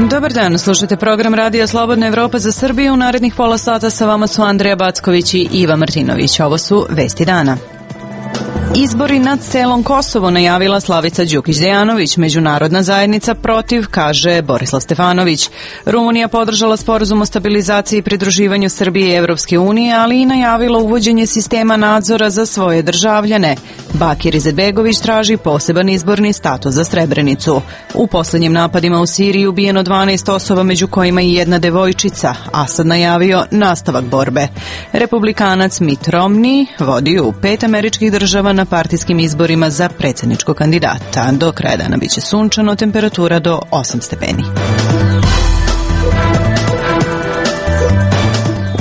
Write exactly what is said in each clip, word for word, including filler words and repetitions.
Dobar dan, slušate program Radija Slobodna Evropa za Srbiju. U narednih pola sata sa vama su Andreja Backović i Iva Martinović. Ovo su Vesti dana. Izbori na celom Kosovu najavila Slavica Đukić-Dejanović. Međunarodna zajednica protiv, kaže Borislav Stefanović. Rumunija podržala sporazum o stabilizaciji i pridruživanju Srbije i Evropske unije, ali i najavila uvođenje sistema nadzora za svoje državljane. Bakir Izetbegović traži poseban izborni status za Srebrenicu. U poslednjim napadima u Siriji ubijeno dvanaest osoba, među kojima i jedna devojčica. Asad najavio nastavak borbe. Republikanac Mitt Romney vodi u pet američkih država na partijskim izborima za predsjedničkog kandidata. Do kraja dana biće sunčano, temperatura do osam stepeni.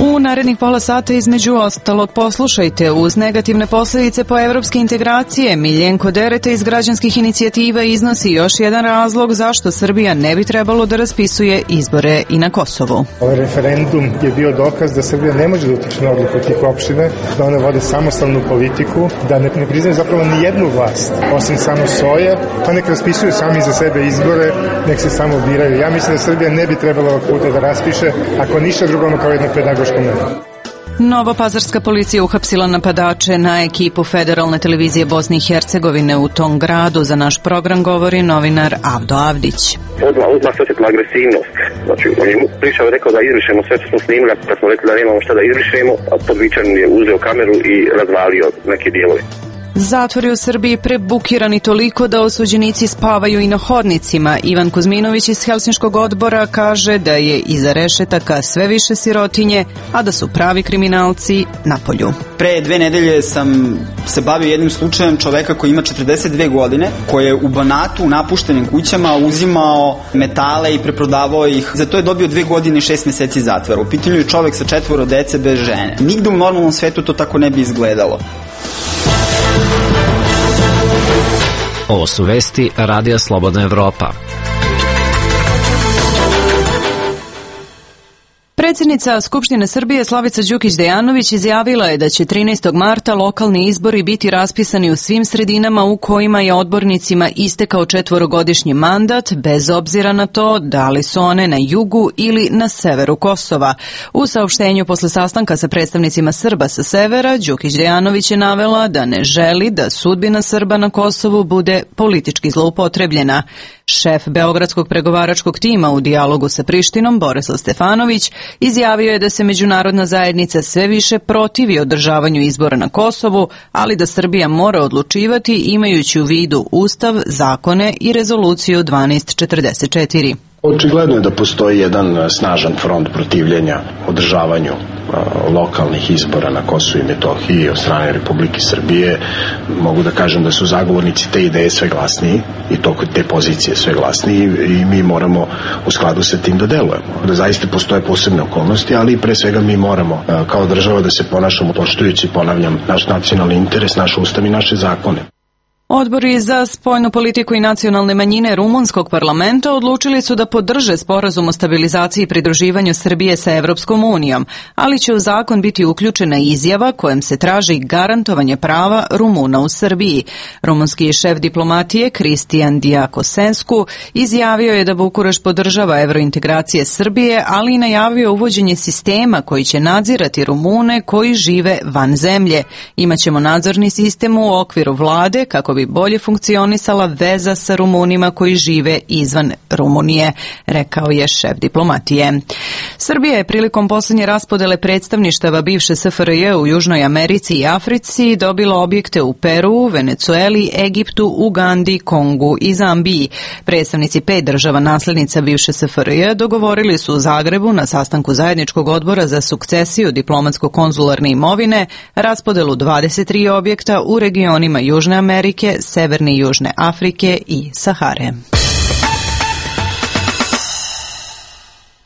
U narednih pola sata između ostalog poslušajte: uz negativne posljedice po evropske integracije, Miljenko Dereta iz građanskih inicijativa iznosi još jedan razlog zašto Srbija ne bi trebalo da raspisuje izbore i na Kosovu. Ovaj referendum je bio dokaz da Srbija ne može da utiče na odluku tih opština, da one vode samostalnu politiku, da ne, ne priznaju zapravo ni jednu vlast, osim samo svoje, pa nek raspisuju sami za sebe izbore, nek se samo biraju. Ja mislim da Srbija ne bi trebala ovog puta da raspiše, ako ništa drugo, kao jedno pedagoško meru. Novopazarska policija uhapsila napadače na ekipu Federalne televizije Bosne i Hercegovine u tom gradu. Za naš program govori novinar Avdo Avdić. Odmah, odmah se osjetila agresivnost. Znači, on je pričao i rekao da izbrišemo sve što smo snimili, kad smo rekli da nemamo šta da izbrišemo, a podvičan je uzeo kameru i razvalio neke dijelove. Zatvori u Srbiji prebukirani toliko da osuđenici spavaju i na hodnicima. Ivan Kuzminović iz Helsinškog odbora kaže da je iza rešetaka sve više sirotinje, a da su pravi kriminalci napolju. Pre dve nedelje sam se bavio jednim slučajem čoveka koji ima četrdeset dve godine, koji je u Banatu u napuštenim kućama uzimao metale i preprodavao ih. Za to je dobio dve godine i šest meseci zatvora. U pitanju je čovek sa četvoro dece bez žene. Nigde u normalnom svetu to tako ne bi izgledalo. Ovo su vesti Radija Slobodna Evropa. Predsjednica Skupštine Srbije Slavica Đukić-Dejanović izjavila je da će trinaestog marta lokalni izbori biti raspisani u svim sredinama u kojima je odbornicima istekao četvorogodišnji mandat, bez obzira na to da li su one na jugu ili na severu Kosova. U saopštenju posle sastanka sa predstavnicima Srba sa severa, Đukić-Dejanović je navela da ne želi da sudbina Srba na Kosovu bude politički zloupotrebljena. Šef Beogradskog pregovaračkog tima u dijalogu sa Prištinom, Borislav Stefanović, izjavio je da se međunarodna zajednica sve više protivi održavanju izbora na Kosovu, ali da Srbija mora odlučivati imajući u vidu Ustav, zakone i rezoluciju dvanaest četrdeset četiri. Očigledno je da postoji jedan snažan front protivljenja održavanju lokalnih izbora na Kosovu i Metohiji od strane Republike Srbije. Mogu da kažem da su zagovornici te ideje sve glasniji i to te pozicije sve glasniji i mi moramo u skladu sa tim da delujemo. Da zaista postoje posebne okolnosti, ali pre svega mi moramo kao država da se ponašamo poštujući, ponavljam, naš nacionalni interes, naš ustav i naše zakone. Odbori za spoljnu politiku i nacionalne manjine rumunskog parlamenta odlučili su da podrže sporazum o stabilizaciji i pridruživanju Srbije sa Evropskom unijom, ali će u zakon biti uključena izjava kojom se traži garantovanje prava Rumuna u Srbiji. Rumunski šef diplomatije Kristijan Diakosensku izjavio je da Bukurešt podržava evrointegracije Srbije, ali i najavio uvođenje sistema koji će nadzirati Rumune koji žive van zemlje. Imaćemo nadzorni sistem u okviru vlade kako bi bolje funkcionisala veza sa Rumunima koji žive izvan Rumunije, rekao je šef diplomatije. Srbija je prilikom posljednje raspodele predstavništava bivše S F R J u Južnoj Americi i Africi dobila objekte u Peru, Venecueli, Egiptu, Ugandi, Kongu i Zambiji. Predstavnici pet država naslednica bivše S F R J dogovorili su u Zagrebu na sastanku zajedničkog odbora za sukcesiju diplomatsko-konzularne imovine raspodelu dvadeset tri objekta u regionima Južne Amerike, Severne i Južne Afrike i Sahare.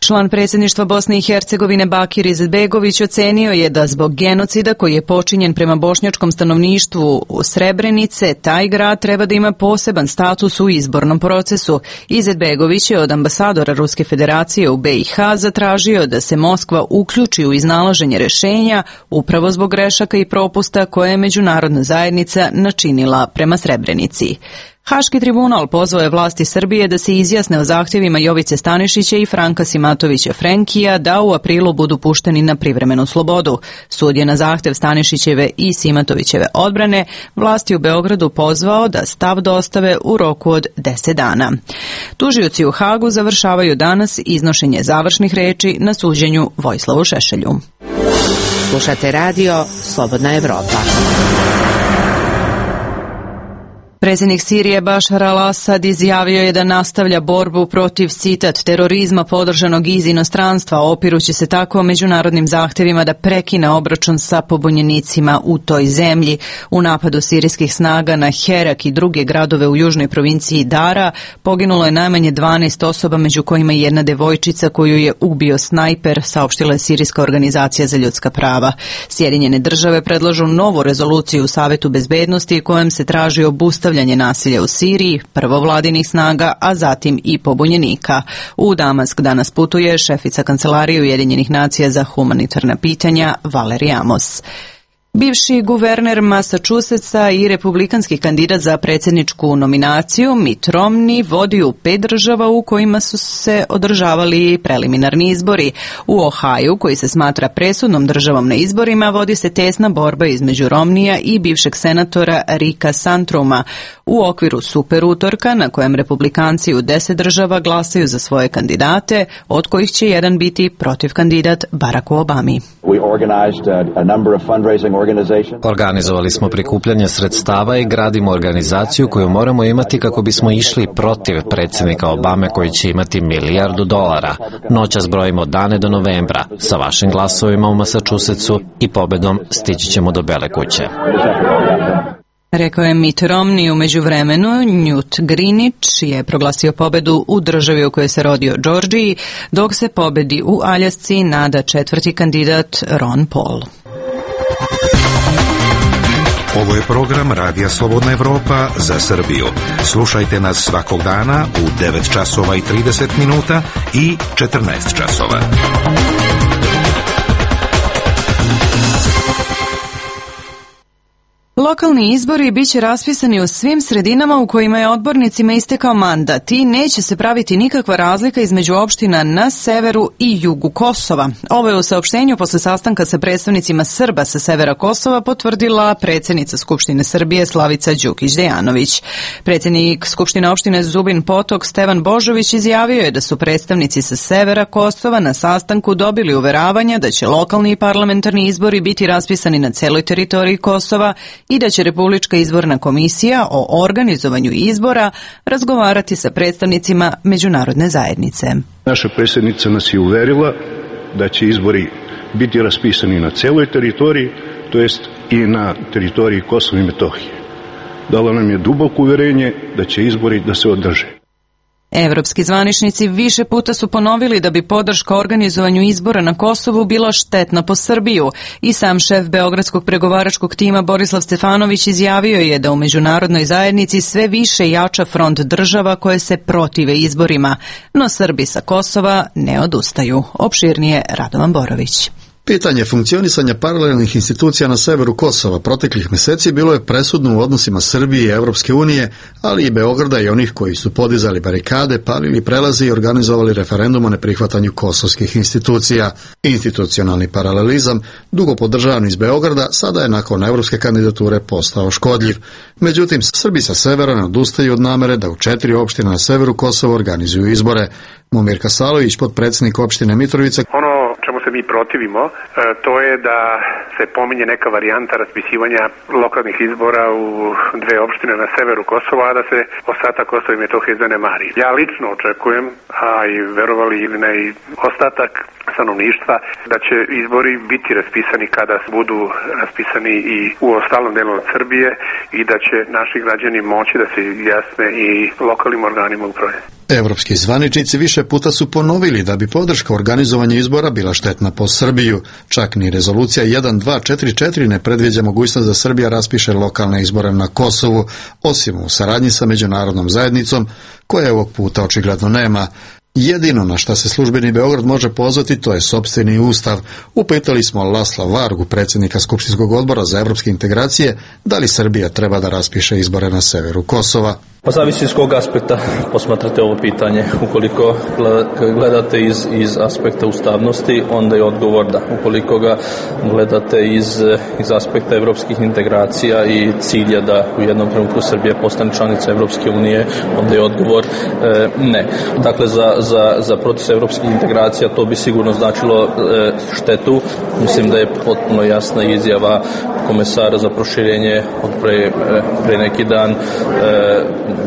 Član predsjedništva Bosne i Hercegovine Bakir Izetbegović ocenio je da zbog genocida koji je počinjen prema bošnjačkom stanovništvu u Srebrenice, taj grad treba da ima poseban status u izbornom procesu. Izetbegović je od ambasadora Ruske federacije u B i H zatražio da se Moskva uključi u iznalaženje rešenja upravo zbog grešaka i propusta koje je međunarodna zajednica načinila prema Srebrenici. Haški tribunal pozvao je vlasti Srbije da se izjasne o zahtjevima Jovice Stanišića i Franka Simatovića Frenkija da u aprilu budu pušteni na privremenu slobodu. Sud je na zahtjev Stanišićeve i Simatovićeve odbrane vlasti u Beogradu pozvao da stav dostave u roku od deset dana. Tužioci u Hagu završavaju danas iznošenje završnih reči na suđenju Vojislavu Šešelju. Slušate radio Slobodna Evropa. Predsjednik Sirije Bašar al-Asad izjavio je da nastavlja borbu protiv, citat, terorizma podržanog iz inostranstva, opirući se tako međunarodnim zahtjevima da prekine obračun sa pobunjenicima u toj zemlji. U napadu sirijskih snaga na Herak i druge gradove u južnoj provinciji Dara poginulo je najmanje dvanaest osoba, među kojima i jedna devojčica koju je ubio snajper, saopštila je Sirijska organizacija za ljudska prava. Sjedinjene države predlažu novu rezoluciju u Savetu bezbednosti kojom se traži obustavljanje nasilja u Siriji, prvo vladinih snaga, a zatim i pobunjenika. U Damask danas putuje šefica Kancelarije Ujedinjenih nacija za humanitarna pitanja Valerie Amos. Bivši guverner Massachusettsa i republikanski kandidat za predsjedničku nominaciju Mitt Romney vodi u pet država u kojima su se održavali preliminarni izbori. U Ohaju, koji se smatra presudnom državom na izborima, vodi se tesna borba između Romneya i bivšeg senatora Ricka Santoruma u okviru super utorka na kojem republikanci u deset država glasaju za svoje kandidate, od kojih će jedan biti protiv kandidat Baracku Obami. Organizovali smo prikupljanje sredstava i gradimo organizaciju koju moramo imati kako bismo išli protiv predsjednika Obame koji će imati milijardu dolara. Noćas brojimo dane do novembra. Sa vašim glasovima u Massachusettsu i pobedom stići ćemo do Bele kuće. Rekao je Mitt Romney. U međuvremenu Newt Gingrich je proglasio pobedu u državi u kojoj se rodio Georgiji, dok se pobedi u Aljasci nada četvrti kandidat Ron Paul. Ovo je program Radija Slobodna Evropa za Srbiju. Slušajte nas svakog dana u devet časova i trideset minuta i četrnaest časova. Lokalni izbori bit će raspisani u svim sredinama u kojima je odbornicima istekao mandat i neće se praviti nikakva razlika između opština na severu i jugu Kosova. Ovo je u saopštenju posle sastanka sa predstavnicima Srba sa severa Kosova potvrdila predsjednica Skupštine Srbije Slavica Đukić-Dejanović. Predsjednik Skupštine opštine Zubin Potok Stevan Božović izjavio je da su predstavnici sa severa Kosova na sastanku dobili uveravanja da će lokalni i parlamentarni izbori biti raspisani na celoj teritoriji Kosova i da će Republička izborna komisija o organizovanju izbora razgovarati sa predstavnicima međunarodne zajednice. Naša predsjednica nas je uverila da će izbori biti raspisani na celoj teritoriji, to jest i na teritoriji Kosova i Metohije. Dala nam je duboko uverenje da će izbori da se održe. Evropski zvaničnici više puta su ponovili da bi podrška organizovanju izbora na Kosovu bila štetna po Srbiju i sam šef beogradskog pregovaračkog tima Borislav Stefanović izjavio je da u međunarodnoj zajednici sve više jača front država koje se protive izborima, no Srbi sa Kosova ne odustaju. Opširnije Radovan Borović. Pitanje funkcionisanja paralelnih institucija na severu Kosova proteklih mjeseci bilo je presudno u odnosima Srbije i Evropske unije, ali i Beograda i onih koji su podizali barikade, palili prelaze i organizovali referendum o neprihvatanju kosovskih institucija. Institucionalni paralelizam, dugo podržavan iz Beograda, sada je nakon evropske kandidature postao škodljiv. Međutim, Srbi sa severa ne odustaju od namere da u četiri opštine na severu Kosova organizuju izbore. Momir Kasalović, potpredsjednik opštine Mitrovica. Ono čemu se mi protivimo, to je da se pominje neka varijanta raspisivanja lokalnih izbora u dve opštine na severu Kosova, a da se ostatak Kosova i Metohije zanemari. Ja lično očekujem, a i verovali ili ne i ostatak stanovništva, da će izbori biti raspisani kada budu raspisani i u ostalom delu od Srbije i da će naši građani moći da se izjasne i lokalnim organima uprave. Evropski zvaničnici više puta su ponovili da bi podrška organizovanju izbora bila štetna po Srbiju. Čak ni rezolucija jedan dva četiri četiri ne predviđa mogućnost da Srbija raspiše lokalne izbore na Kosovu, osim u saradnji sa međunarodnom zajednicom, koje ovog puta očigledno nema. Jedino na šta se službeni Beograd može pozvati to je sopstveni ustav. Upitali smo Lasla Vargu, predsjednika Skupštinskog odbora za evropske integracije, da li Srbija treba da raspiše izbore na severu Kosova. Pa zavisi iz kog aspekta posmatrate ovo pitanje. Ukoliko gledate iz, iz aspekta ustavnosti, onda je odgovor da. Ukoliko ga gledate iz, iz aspekta evropskih integracija i cilja da u jednom trenutku Srbija postane članica Evropske unije, onda je odgovor e, ne. Dakle, za, za, za proces evropskih integracija to bi sigurno značilo e, štetu. Mislim da je potpuno jasna izjava komesara za proširenje od pre, pre neki dan, e,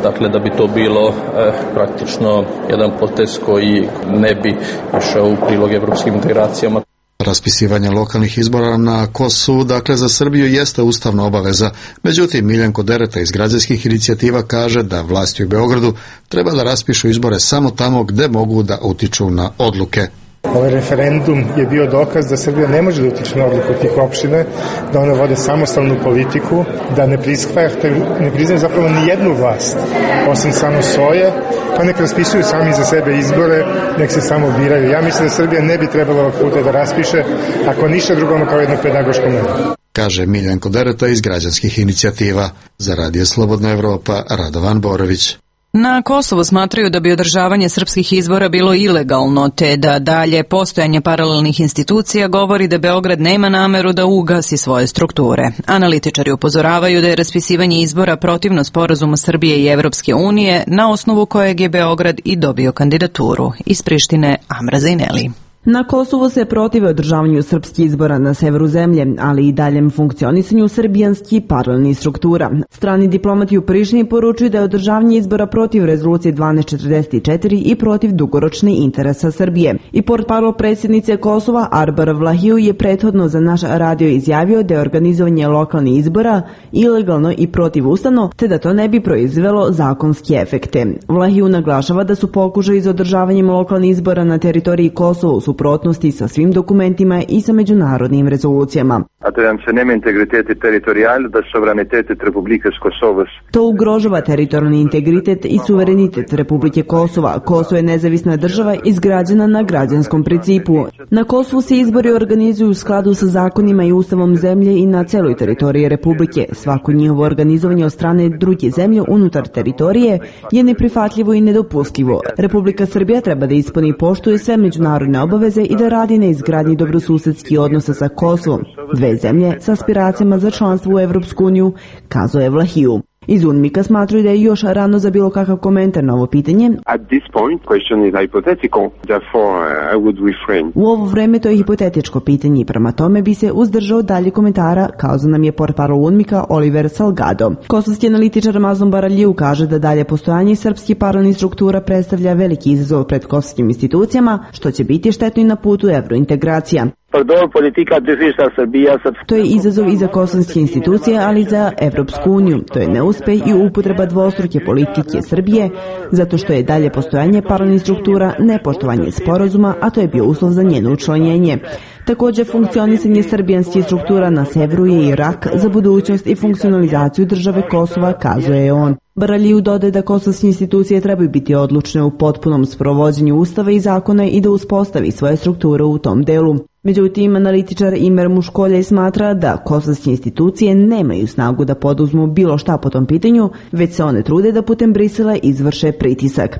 dakle da bi to bilo e, praktično jedan potez koji ne bi išao u prilog evropskim integracijama. Raspisivanje lokalnih izbora na Kosovu, dakle za Srbiju, jeste ustavna obaveza. Međutim, Miljenko Dereta iz građanskih inicijativa kaže da vlasti u Beogradu treba da raspišu izbore samo tamo gde mogu da utiču na odluke. Ovaj referendum je bio dokaz da Srbija ne može da utiče na odluku tih opštine, da one vode samostalnu politiku, da ne prihvataju, ne priznaju zapravo ni jednu vlast, osim samo svoje, pa nek raspisuju sami za sebe izbore, nek se samo biraju. Ja mislim da Srbija ne bi trebala ovog puta da raspiše, ako ništa drugom kao jedno pedagoško meru. Kaže Miljenko Dereta iz građanskih inicijativa. Za Radio Slobodna Evropa, Radovan Borović. Na Kosovu smatraju da bi održavanje srpskih izbora bilo ilegalno, te da dalje postojanje paralelnih institucija govori da Beograd nema nameru da ugasi svoje strukture. Analitičari upozoravaju da je raspisivanje izbora protivno sporazumu Srbije i Evropske unije, na osnovu kojeg je Beograd i dobio kandidaturu. Iz Prištine, Amra Zajneli. Na Kosovu se protive održavanju srpskih izbora na severu zemlje, ali i daljem funkcionisanju srbijanskih paralelnih struktura. Strani diplomati u Prištini poručuju da je održavanje izbora protiv rezolucije dvanaest četrdeset četiri i protiv dugoročne interesa Srbije. I portparol predsjednice Kosova Arbar Vlahiju je prethodno za naš radio izjavio da je organizovanje lokalnih izbora ilegalno i protivustavno, te da to ne bi proizvelo zakonske efekte. Vlahiju naglašava da su pokušaji za održavanjem lokalnih izbora na teritoriji Kosova u suprotnosti sa svim dokumentima i sa međunarodnim rezolucijama. To ugrožava teritorijalni integritet i suverenitet Republike Kosova. Kosovo je nezavisna država izgrađena na građanskom principu. Na Kosovu se izbori organizuju u skladu sa zakonima i ustavom zemlje i na celoj teritoriji Republike. Svako njihovo organizovanje od strane druge zemlje unutar teritorije je neprihvatljivo i nedopustivo. Republika Srbija treba da ispuni i poštuje sve međunarodne obaveze i da radi na izgradnji dobrosusedskih odnosa sa Kosovom, dve zemlje sa aspiracijama za članstvo u Evropsku uniju, kazao je Vlahiju. Iz UNMIK-a smatruju da je još rano za bilo kakav komentar na ovo pitanje. U ovo vreme to je hipotetičko pitanje i prema tome bi se uzdržao dalje komentara, kazao nam je portparol UNMIK-a Oliver Salgado. Kosovski analitičar Mazlum Baraljiu kaže da dalje postojanje srpskih paralelnih struktura predstavlja veliki izazov pred kosovskim institucijama, što će biti štetno i na putu evrointegracija. To je izazov i za kosovske institucije, ali i za Evropsku uniju. To je neuspeh i upotreba dvostruke politike Srbije, zato što je dalje postojanje paralelnih struktura nepoštovanje sporazuma, a to je bio uslov za njeno učlanjenje. Također, funkcionisanje srbijanskih struktura na severu je i rak za budućnost i funkcionalizaciju države Kosova, kazuje on. Baraljiu dodaje da kosovske institucije trebaju biti odlučne u potpunom sprovođenju ustava i zakona i da uspostavi svoje strukture u tom delu. Međutim, analitičar Imer Muškoljaj smatra da kosovske institucije nemaju snagu da poduzmu bilo šta po tom pitanju, već se one trude da putem Brisela izvrše pritisak.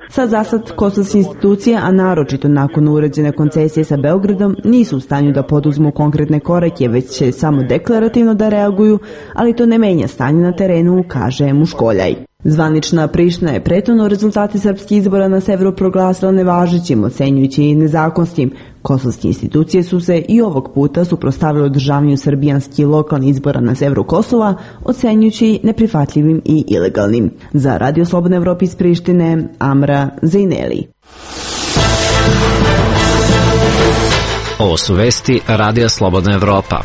Sa zasad kosovske institucije, a naročito nakon uređene koncesije sa Beogradom, nisu u stanju da poduzmu konkretne korake, već će samo deklarativno da reaguju, ali to ne menja stanje na terenu, kaže Muškoljaj. Zvanična Priština je prethodno rezultate srpskih izbora na severu proglasila nevažećim, ocenjujući i nezakonskim. Kosovske institucije su se i ovog puta suprotstavile održavanju srbijanskih lokalnih izbora na severu Kosova, ocenjujući neprihvatljivim i ilegalnim. Za Radio Slobodna Evropa iz Prištine, Amra Zajneli. Ovo su vesti Radija Slobodna Evropa.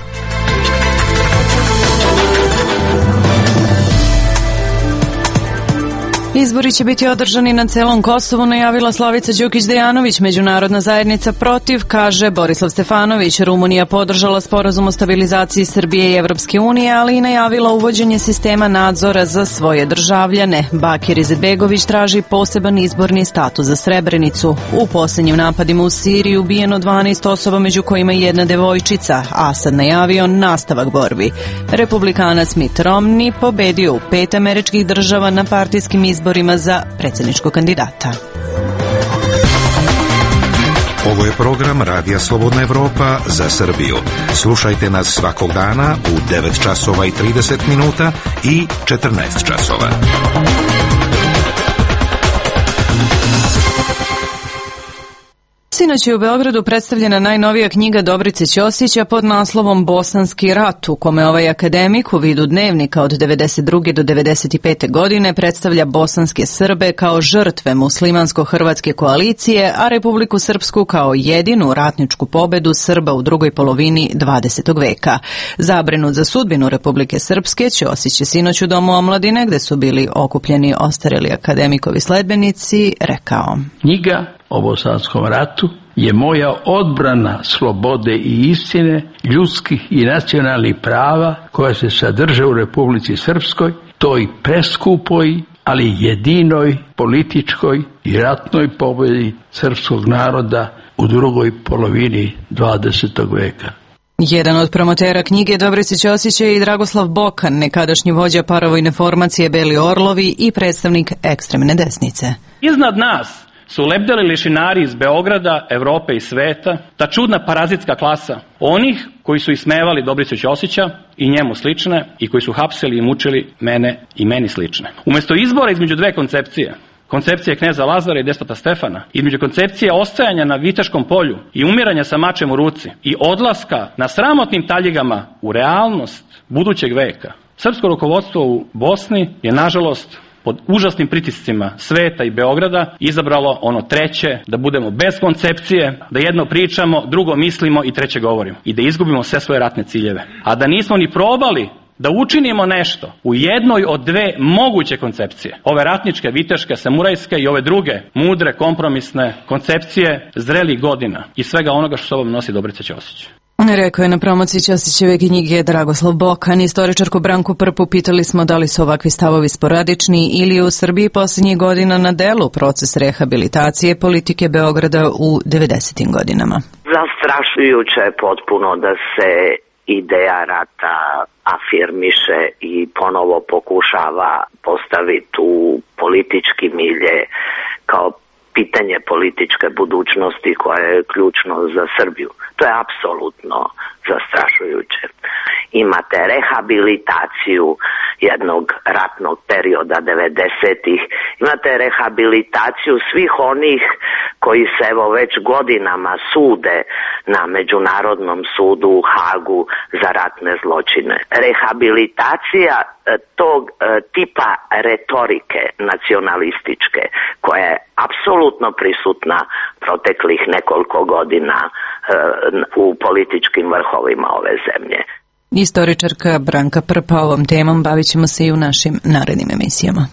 Izbori će biti održani na celom Kosovu, najavila Slavica Đukić-Dejanović. Međunarodna zajednica protiv, kaže Borislav Stefanović. Rumunija podržala sporazum o stabilizaciji Srbije i Evropske unije, ali i najavila uvođenje sistema nadzora za svoje državljane. Bakir Izetbegović traži poseban izborni status za Srebrenicu. U posljednjim napadima u Siriji ubijeno dvanaest osoba, među kojima i jedna devojčica. Asad najavio nastavak borbi. Republikanac Mitt Romney pobedio u pet američkih država na partijskim izborima izborima za predsjedničkog kandidata. Ovo je program Radija Slobodna Evropa za Srbiju. Slušajte nas svakog dana u devet časova i trideset minuta i četrnaest časova. Sinoć je u Beogradu predstavljena najnovija knjiga Dobrice Ćosića pod naslovom Bosanski rat, u kome ovaj akademik u vidu dnevnika od devedeset druge do devedeset pete godine predstavlja bosanske Srbe kao žrtve muslimansko-hrvatske koalicije, a Republiku Srpsku kao jedinu ratničku pobedu Srba u drugoj polovini dvadesetog veka. Zabrinut za sudbinu Republike Srpske, Ćosić je sinoć u Domu omladine, gde su bili okupljeni ostareli akademikovi sledbenici, rekao: Knjiga o Bosanskom ratu je moja odbrana slobode i istine, ljudskih i nacionalnih prava koja se sadrže u Republici Srpskoj, toj preskupoj, ali jedinoj političkoj i ratnoj pobedi srpskog naroda u drugoj polovini dvadesetog veka. Jedan od promotera knjige Dobrice Ćosića je i Dragoslav Bokan, nekadašnji vođa paravojne formacije Beli Orlovi i predstavnik ekstremne desnice. Iznad nas su lebdeli lešinari iz Beograda, Evrope i sveta, ta čudna parazitska klasa onih koji su ismevali Dobricu Ćosića i njemu slične i koji su hapsili i mučili mene i meni slične. Umesto izbora između dve koncepcije, koncepcije kneza Lazara i despota Stefana, između koncepcije ostajanja na Viteškom polju i umiranja sa mačem u ruci i odlaska na sramotnim taljigama u realnost budućeg veka, srpsko rukovodstvo u Bosni je, nažalost, pod užasnim pritiscima sveta i Beograda izabralo ono treće, da budemo bez koncepcije, da jedno pričamo, drugo mislimo i treće govorimo i da izgubimo sve svoje ratne ciljeve. A da nismo ni probali da učinimo nešto u jednoj od dve moguće koncepcije, ove ratničke, viteške, samurajske i ove druge mudre, kompromisne koncepcije zrelih godina i svega onoga što sobom nosi Dobrica Ćosić. Rekao je na promociji Ćosićeve knjige Dragoslav Bokan. Istoričarku Branku Prpu pitali smo da li su ovakvi stavovi sporadični ili je u Srbiji posljednjih godina na delu proces rehabilitacije politike Beograda u devedesetim godinama. Zastrašujuće je potpuno da se ideja rata afirmiše i ponovo pokušava postaviti u politički milje kao pitanje političke budućnosti koje je ključno za Srbiju. To je apsolutno zastrašujuće. Imate rehabilitaciju jednog ratnog perioda devedesetih, imate rehabilitaciju svih onih koji se evo već godinama sude na Međunarodnom sudu u Hagu za ratne zločine. Rehabilitacija tog tipa retorike nacionalističke koja je apsolutno prisutna proteklih nekoliko godina u političkim vrhovima ove zemlje. Istoričarka Branka Prpa, ovom temom bavit ćemo se i u našim narednim emisijama.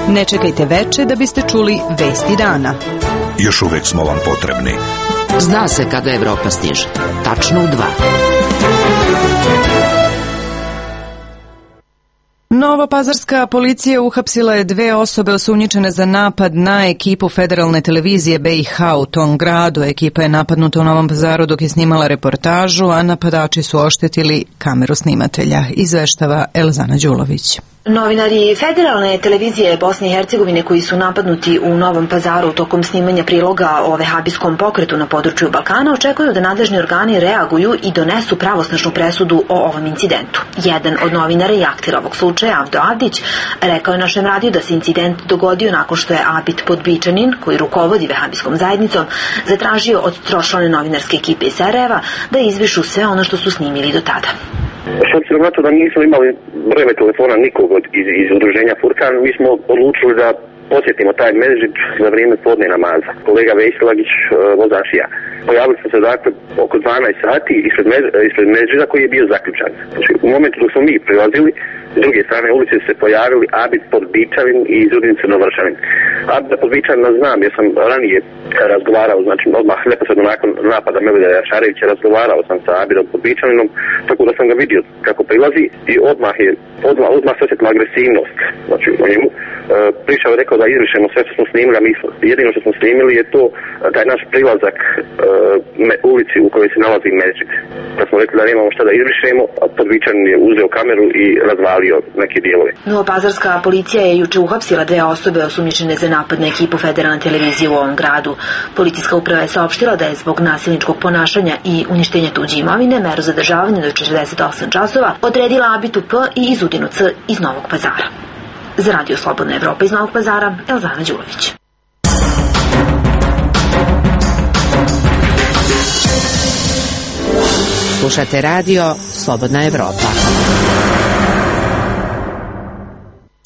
Ne čekajte veče da biste čuli vesti dana. Još uvek smo vam potrebni. Zna se kada Evropa stiže. Tačno u dva. Novopazarska policija uhapsila je dve osobe osumnjičene za napad na ekipu federalne televizije B i H u tom gradu. Ekipa je napadnuta u Novom Pazaru dok je snimala reportažu, a napadači su oštetili kameru snimatelja, izveštava Elzana Đulović. Novinari federalne televizije Bosne i Hercegovine koji su napadnuti u Novom Pazaru tokom snimanja priloga o vehabijskom pokretu na području Balkana očekuju da nadležni organi reaguju i donesu pravosnažnu presudu o ovom incidentu. Jedan od novinara i aktera ovog slučaja, Avdo Avdić, rekao je našem radiju da se incident dogodio nakon što je Abid Podbičanin, koji rukovodi vehabijskom zajednicom, zatražio od tročlane novinarske ekipe iz Sarajeva da izvišu sve ono što su snimili do tada. S obzirom na to da nismo imali brojeve telefona nikog iz, iz udruženja Furkan, mi smo odlučili da posjetimo taj Medžid za vrijeme podne namaza. Kolega Vesilagić, vozač i ja. Pojavili smo se dakle oko dvanaest sati ispred, Med, ispred Medžida koji je bio zaključan. Znači, u momentu dok smo mi prilazili, s druge strane ulice se pojavili Abid Podbičavin i Izudin Crnovršavin. Abida Podbičavina znam jer sam ranije razgovarao, znači odmah neposredno nakon napada Melida Jašarevića razgovarao sam sa Abidom Podbičavinom, tako da sam ga vidio kako prilazi i odmah je odmah, odmah se osjetila agresivnost. Znači o njemu. E, prišao je rekao da izrišemo sve što smo snimili, a mi jedino što smo snimili je to taj naš prilazak e, me, ulici u kojoj se nalazi Medžid. Da smo rekli da nemamo šta da izrišemo, a Podbičanin je uzeo kameru i razvalio neke dijelove. Novopazarska policija je juče uhapsila dve osobe osumnjičene za napad na ekipu federalne televizije u ovom gradu. Policijska uprava je saopštila da je zbog nasilničkog ponašanja i uništenja tuđe imovine meru zadržavanja do četrdeset osam časova odredila Abitu P i Izudinu C iz Novog Pazara. Za Radio Slobodna Evropa iz Novog Pazara, Elzana Đulović. Slušate radio Slobodna Evropa.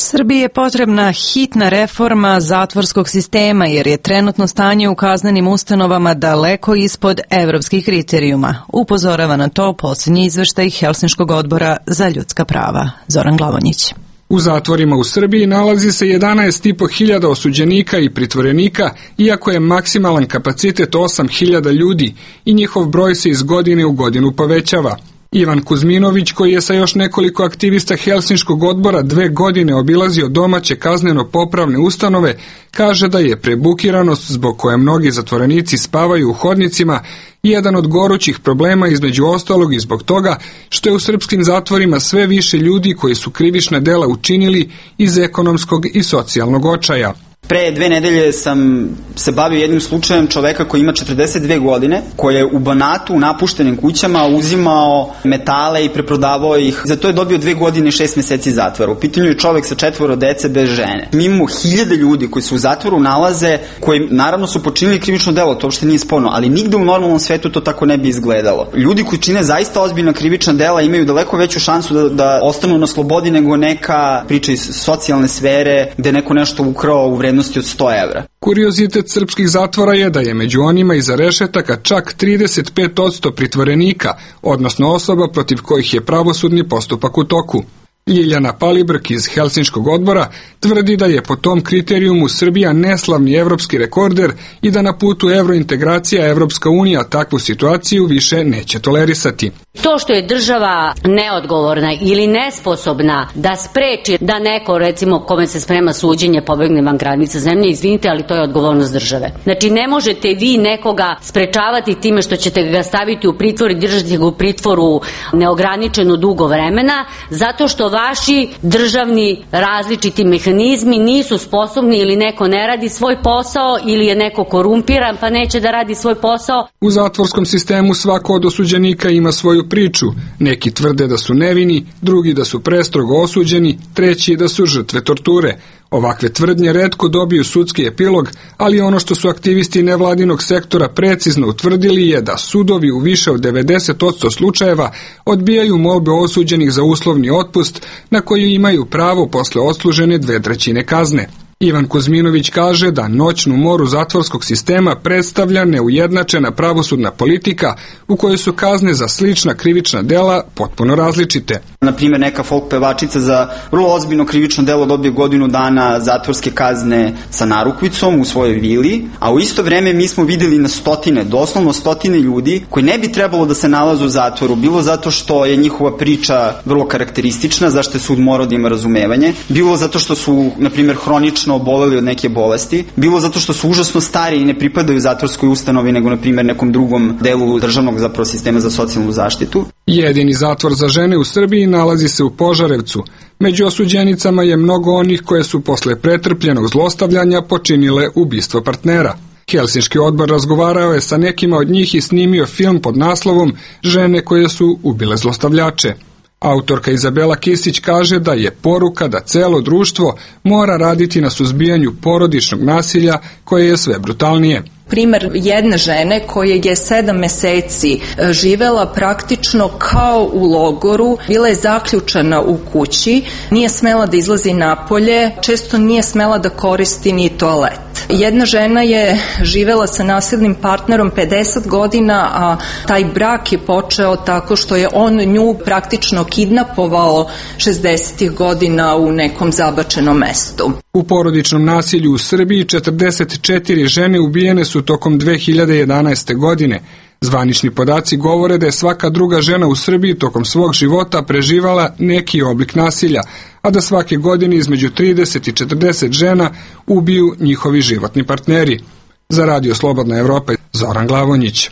Srbiji je potrebna hitna reforma zatvorskog sistema jer je trenutno stanje u kaznenim ustanovama daleko ispod evropskih kriterijuma. Upozorava na to posljednji izveštaj Helsinškog odbora za ljudska prava. Zoran Glavonjić. U zatvorima u Srbiji nalazi se jedanaest i po hiljada osuđenika i pritvorenika, iako je maksimalan kapacitet osam hiljada ljudi i njihov broj se iz godine u godinu povećava. Ivan Kuzminović, koji je sa još nekoliko aktivista Helsinškog odbora dve godine obilazio domaće kazneno-popravne ustanove, kaže da je prebukiranost zbog koje mnogi zatvorenici spavaju u hodnicima jedan od gorućih problema, između ostalog i zbog toga što je u srpskim zatvorima sve više ljudi koji su krivična dela učinili iz ekonomskog i socijalnog očaja. Pre dve nedelje sam se bavio jednim slučajem čoveka koji ima četrdeset dve godine, koji je u Banatu u napuštenim kućama uzimao metale i preprodavao ih. Za to je dobio dve godine i šest meseci zatvora. U pitanju je čovek sa četvoro dece bez žene. Mi imamo hiljade ljudi koji se u zatvoru nalaze, koji naravno su počinili krivično delo, to uopšte nije sporno, ali nigde u normalnom svetu to tako ne bi izgledalo. Ljudi koji čine zaista ozbiljna krivična dela imaju daleko veću šansu da, da ostanu na slobodi nego neka priča iz socijalne sfere gde neko nešto ukrao u vrednosti od sto evra. Kuriozitet srpskih zatvora je da je među onima iza rešetaka čak trideset pet posto pritvorenika, odnosno osoba protiv kojih je pravosudni postupak u toku. Ljiljana Palibrk iz Helsinškog odbora tvrdi da je po tom kriterijumu Srbija neslavni evropski rekorder i da na putu evrointegracija Evropska unija takvu situaciju više neće tolerisati. To što je država neodgovorna ili nesposobna da spreči da neko, recimo, kome se sprema suđenje, pobegne van granica zemlje, izvinite, ali to je odgovornost države. Znači, ne možete vi nekoga sprečavati time što ćete ga staviti u pritvor i držati ga u pritvoru neograničeno dugo vremena, zato što vaši državni različiti mehanizmi nisu sposobni ili neko ne radi svoj posao ili je neko korumpiran pa neće da radi svoj posao. U zatvorskom sistemu svako od osuđenika ima svoju priču. Neki tvrde da su nevini, drugi da su prestrogo osuđeni, treći da su žrtve torture. Ovakve tvrdnje retko dobiju sudski epilog, ali ono što su aktivisti nevladinog sektora precizno utvrdili je da sudovi u više od devedeset posto slučajeva odbijaju molbe osuđenih za uslovni otpust na koju imaju pravo posle odslužene dve trećine kazne. Ivan Kuzminović kaže da noćnu moru zatvorskog sistema predstavlja neujednačena pravosudna politika u kojoj su kazne za slična krivična dela potpuno različite. Na primjer, neka folk pevačica za vrlo ozbiljno krivično delo dobije godinu dana zatvorske kazne sa narukvicom u svojoj vili, a u isto vreme mi smo videli na stotine, doslovno stotine ljudi koji ne bi trebalo da se nalaze u zatvoru, bilo zato što je njihova priča vrlo karakteristična, zašto je sud morao da ima razumevanje, bilo zato što su, na primjer, hronično oboleli od neke bolesti, bilo zato što su užasno stari i ne pripadaju zatvorskoj ustanovi, nego, na primjer, nekom drugom delu državnog zapravo sistema za socijalnu zaštitu. Jedini zatvor za žene u Srbiji nalazi se u Požarevcu. Među osuđenicama je mnogo onih koje su posle pretrpljenog zlostavljanja počinile ubistvo partnera. Helsinški odbor razgovarao je sa nekima od njih i snimio film pod naslovom Žene koje su ubile zlostavljače. Autorka Izabela Kisić kaže da je poruka da celo društvo mora raditi na suzbijanju porodičnog nasilja koje je sve brutalnije. primer jedne žene koja je sedam meseci živela praktično kao u logoru, bila je zaključana u kući, nije smela da izlazi napolje, često nije smela da koristi ni toalet. Jedna žena je živela sa nasilnim partnerom pedeset godina, a taj brak je počeo tako što je on nju praktično kidnapovao šezdesetih godina u nekom zabačenom mestu. U porodičnom nasilju u Srbiji četrdeset četiri žene ubijene su tokom dve hiljade jedanaeste. godine. Zvanični podaci govore da je svaka druga žena u Srbiji tokom svog života preživala neki oblik nasilja, a da svake godine između trideset i četrdeset žena ubiju njihovi životni partneri. Za Radio Slobodna Evropa, Zoran Glavonjić.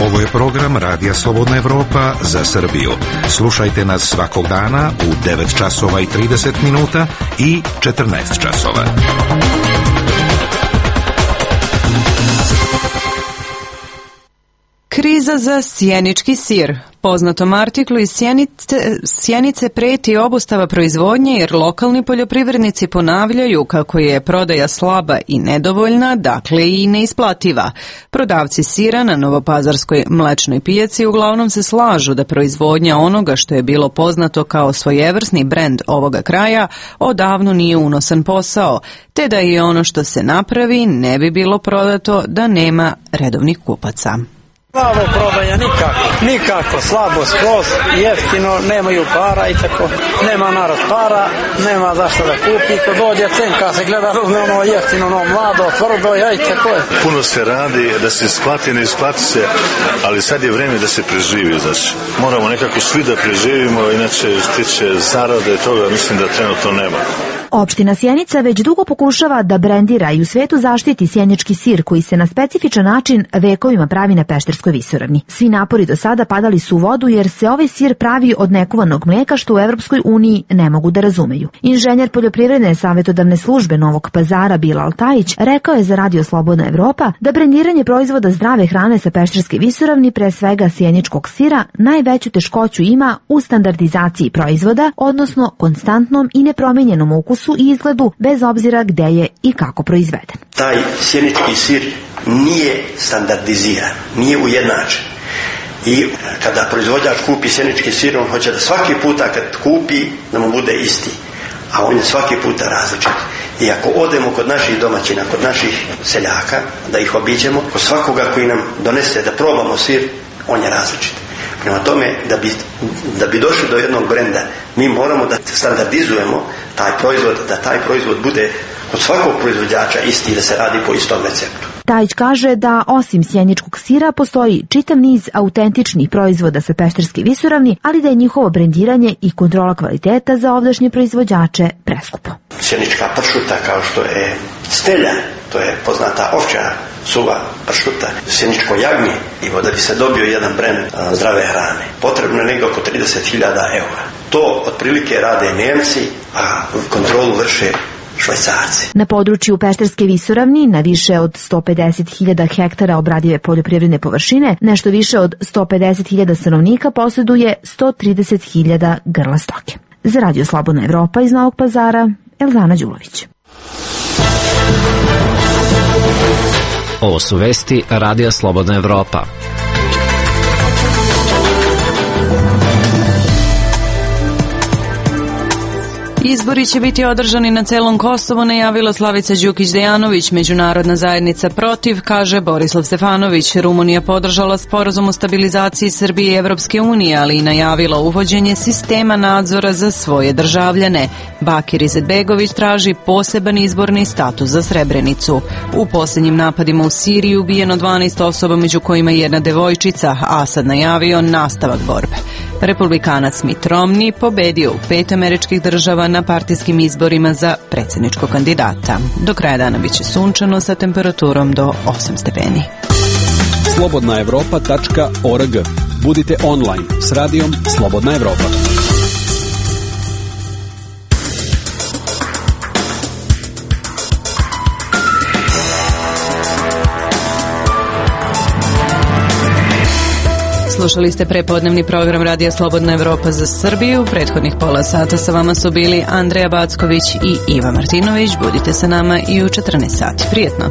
Ovo je program Radija Slobodna Evropa za Srbiju. Slušajte nas svakog dana u devet časova i trideset minuta i četrnaest časova. Kriza za sjenički sir. Poznatom artiklu iz Sjenice, Sjenice preti obustava proizvodnje jer lokalni poljoprivrednici ponavljaju kako je prodaja slaba i nedovoljna, dakle i neisplativa. Prodavci sira na Novopazarskoj mlečnoj pijaci uglavnom se slažu da proizvodnja onoga što je bilo poznato kao svojevrsni brend ovoga kraja odavno nije unosan posao, te da i ono što se napravi ne bi bilo prodato da nema redovnih kupaca. Slabo prodaja, nikako, nikako, slabo skroz, jeftino, nemaju para i tako, nema narod para, nema zašto da kupi, ko dođe cenka se gleda, uzne ono jeftino, ono mlado, tvrdo, jaj, tako je. Puno se radi, da se isplati, ne isplati se, ali sad je vreme da se preživi, znači, moramo nekako svi da preživimo, inače stiče zarade toga, mislim da trenutno nema. Opština Sjenica već dugo pokušava da brendira i u svetu zaštiti sjenički sir koji se na specifičan način vekovima pravi na Pešterskoj visoravni. Svi napori do sada padali su u vodu jer se ovaj sir pravi od nekuvanog mleka što u Evropskoj uniji ne mogu da razumeju. Inženjer poljoprivredne savjetodavne službe Novog Pazara Bilal Tajić rekao je za Radio Slobodna Evropa da brendiranje proizvoda zdrave hrane sa Pešterske visoravni, pre svega sjeničkog sira, najveću teškoću ima u standardizaciji proizvoda, odnosno konstantnom i nepromenjenom ukusu i izgledu bez obzira gde je i kako proizveden. Taj sjenički sir nije standardiziran, nije ujednačen. I kada proizvođač kupi sjenički sir, on hoće da svaki puta kad kupi da mu bude isti, a on je svaki puta različit. I ako odemo kod naših domaćina, kod naših seljaka, da ih obiđemo, kod svakoga koji nam donese da probamo sir, on je različit. Prema tome, da bi, da bi došli do jednog brenda, mi moramo da standardizujemo taj proizvod, da taj proizvod bude kod svakog proizvođača isti, da se radi po istom receptu. Tajić kaže da osim sjeničkog sira postoji čitav niz autentičnih proizvoda sa Pešterske visoravni, ali da je njihovo brendiranje i kontrola kvaliteta za ovdašnje proizvođače preskupo. Sjenička pršuta kao što je stelja, to je poznata ovčja suva pršuta, sjeničko jagnje, i da bi se dobio jedan brend zdrave hrane, potrebno je negdje oko trideset hiljada eura. To otprilike rade Nemci, a kontrolu vrše Švajcarci. Na području Pešterske visoravni, na više od sto pedeset hiljada hektara obradive poljoprivredne površine, nešto više od sto pedeset hiljada stanovnika posjeduje sto trideset hiljada grla stoke. Za Radio Slobodna Evropa iz Novog Pazara, Elzana Đulović. Ovo su vesti Radija Slobodna Evropa. Izbori će biti održani na celom Kosovu, najavila Slavica Đukić-Dejanović. Međunarodna zajednica protiv, kaže Borislav Stefanović. Rumunija podržala sporazum o stabilizaciji Srbije i Evropske unije, ali i najavila uvođenje sistema nadzora za svoje državljane. Bakir Izetbegović traži poseban izborni status za Srebrenicu. U posljednjim napadima u Siriji ubijeno dvanaest osoba, među kojima jedna devojčica, a Asad najavio nastavak borbe. Republikanac Mitt Romney pobedio u pet američkih država na partijskim izborima za predsjedničkog kandidata. Do kraja dana biće sunčano sa temperaturom do osam stepeni. slobodna evropa tačka org. Budite online s radijom Slobodna Evropa. Slušali ste prepodnevni program Radija Slobodna Evropa za Srbiju. Prethodnih pola sata sa vama su bili Andreja Backović i Iva Martinović. Budite sa nama i u četrnaest sati. Prijetno.